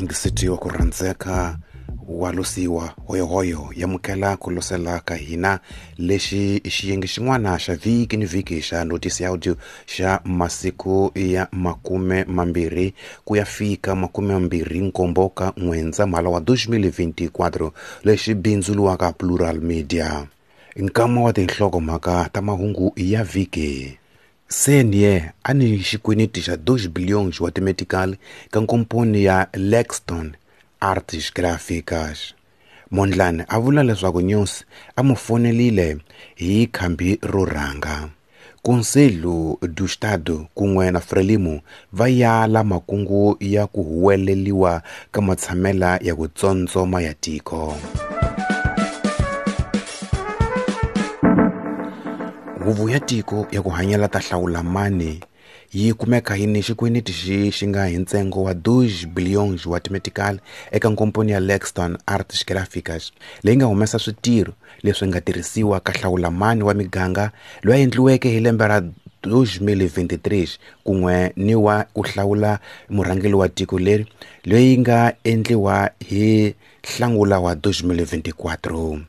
Yingiseti wa ku rhandzeka wa losiwa hoyohoyo yamukela ku losela ka hina lexi i xiyenge xin'wana xa vhiki ni vhiki xa notisi ya audio xa masiku ya 20 ku ya fika 27 ka N'wendzamhala wa 2024 lexi bindzuriwaka Plural Media. Nkama wa tinhlokomhaka ta mahungu ya vhiki. Senier a ni xikweneti xa 2 billions wa timetical ka nkomponi ya Lexton Artes Gráficas. Mondlane a vula leswaku Nyusi a mu fonelile hi khambi ro rhanga. Conselho do Estado kun'we na Frelimo va yala makungu ya ku huweleliwa ka matshamela ya ku tsondzoma ya tiko. Huvo ya tiko ya ku hanyela ta hlawula mani yi kumeka yi ni xikweneti xi xi nga hi ntsengo wa 2 billions wa timetical eka nkomponi ya Lexton Artes Gráficas leyi nga humesa switirho leswi nga tirhisiwa ka hlawula mani wa miganga loyi a endliweke hi lembe ra 2023 kun'we ni wa ku hlawula murhangeri wa tiko leri leyi nga endliwa hi Hlangula wa 2024.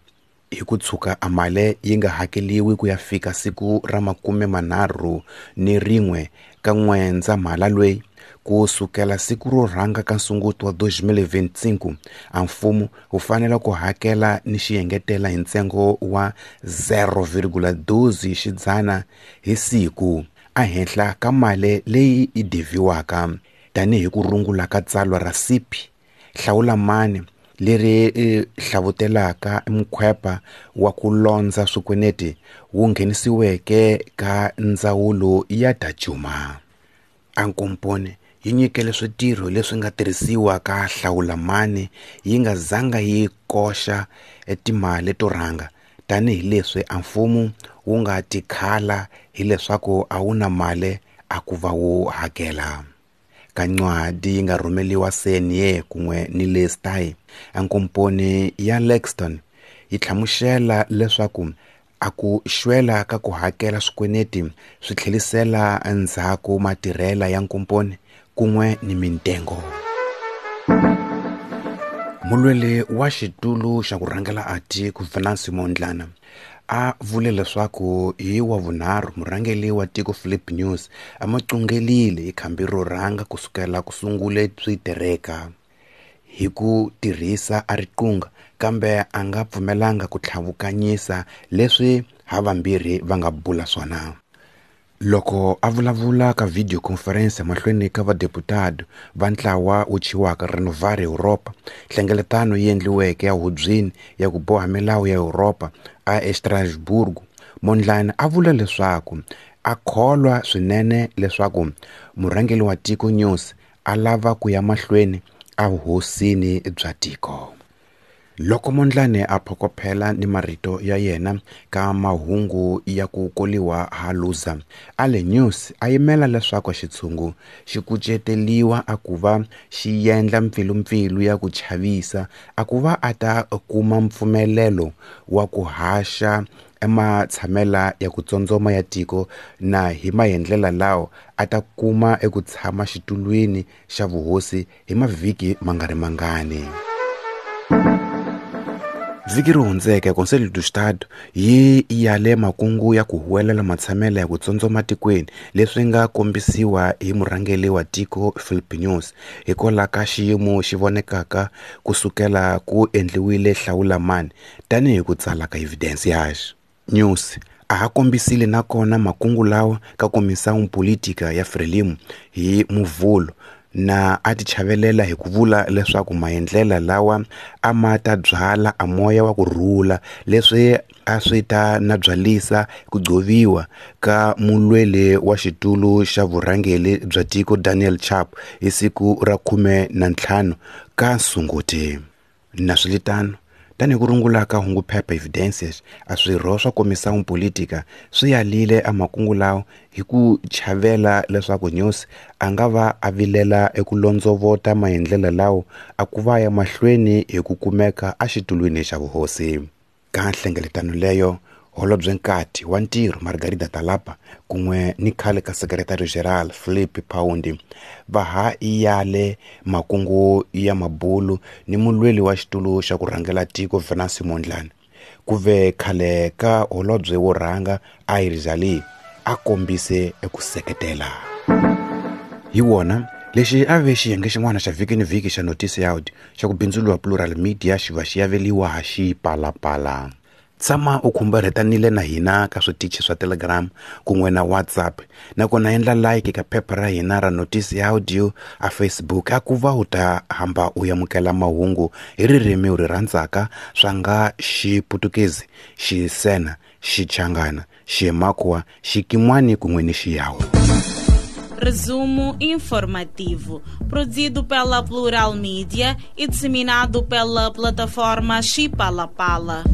Hi ku tshuka a mali yi nga hakeliwi ku ya fika siku ra 31 ka N'wendzamhala lweyi ku sukela siku ro rhanga ka Sunguti wa 2025 a mfumo wu fanele ku hakela ni xiengetela hi ntsengo wa 0,12 xidzana hi siku ehenhla ka mali leyi yi deviwaka tanihi ku rungula ka tsalwa ra CP hlawula mani leri hlavutelaka mukhwepa wa ku londza swikweneti wu nghenisiweke ka ndzawulo ya ta cuma. A nkomponi yi nyikele switirho leswi nga tirhisiwa ka hlawula mani yi nga zanga yi koxa timali to rhanga tanihileswi a mfumo wu nga tikhala hileswaku a wu na mali a ku va wu hakela. Ka ncwadi yi nga rhumeliwa Senier kun'we ni le Stai, a nkomponi ya Lexton yi hlamusela leswaku a ku xwela ka ku hakela swikweneti swi tlhelisela endzhaku matirhela ya nkomponi kun'we ni mintengo. Mulweli wa xitulu xa ku rhangela a tiko Venancio Mondlane a vule leswaku hi wa vunharhu murhangeri wa tiko Philip News a ma cungelile hi khambi ro rhanga ku sukela ku sungule switereka hi ku tirhisa a riqunga kambe a nga pfumelanga ku tlhavukanyisa leswi havambirhi va nga bula swona. Loko a vulavula ka video conference mahlweni ka vadeputado va ntlawa wu thyiwaka Renovar Europa, nhlengeletano yi endliweke ya hubyini ya ku boha milawu ya Europa a eStrasburgo, Mondlane a vula leswaku a kholwa swinene leswaku murhangeri wa tiko Nyusi a lava ku ya mahlweni a vuhosini bya tiko. Loko Mondlane a phokophela ni marito ya yena ka mahungu ya ku koliwa ha Luza, a le News a yimela leswaku xitshungu xi kuceteliwa a ku va xi endla mpfilumpfilu ya ku chavisa a ku va a ta kuma mpfumelelo wa ku haxa ematshamela ya ku tsondzoma ya tiko na hi maendlela lawo a ta kuma eku tshama xitulwini xa vuhosi hi mavhiki ma nga ri mangani. Vhiki ri hundzeke Conselho do Estado yi yale makungu ya ku huwelela matshamela ya ku tsondzoma tikweni leswi nga kombisiwa hi murhangeri wa tiko Philip News hikwalaho ka xiyimo xi vonekaka ku sukela ku endliwile hlawula mani tanihi ku tsala ka Evidencias. News a ha kombisile nakona makungu lawa ka Comissão Política ya Frelimo hi Muvhulo na a ti chavelela hi ku vula leswaku maendlela lawa a ma ta byala a moya wa ku rhula leswi a swi ta na byalisa ku gcoviwa ka mulweli wa xitulu xa vurhangeri bya tiko Daniel Chapo hi siku ra 15 ka Sunguti. Naswilitano, tanihi ku rungula ka hunguphepha Evidencias, a swirho swa Comissão Política swi yalile a makungu lawa hi ku chavela leswaku Nyusi a nga va a vilela eku londzovota maendlela lawo a ku va ya mahlweni hi ku kumeka exitulwini xa vuhosi. Ka nhlengeletano leyo, Holobyenkati wa Ntirho Margarida Talapa kun'we ni khale ka Secretary General Philip Paundi va ha yale makungu ya mabulu ni mulweli wa xitulu xa ku rhangela tiko Venancio Mondlane. Ku ve khale ka holobye wo rhanga Iris Ali a kombise eku seketela. Hi wona lexi a ve xiyenge xin'wana xa vhiki ni vhiki xa Noticiado xa ku bindzuriwa Plural Media xi va xi yaveliwa ha xipalapala. Tshama u khumbarhetanile na hina ka switichi swa Telegram kun'we na WhatsApp nakona endla like ka phepha ra hina ra Notice Audio a Facebook a ku va u ta hamba u amukela mahungu hi ririmi u ri rhandzaka swa nga Xiputukezi, Xisena, Xichangana, Ximakwa, Xikimwani kun'we ni Xiyawu. Resumo informativo, produzido pela Plural Mídia e disseminado pela plataforma Chipalapala.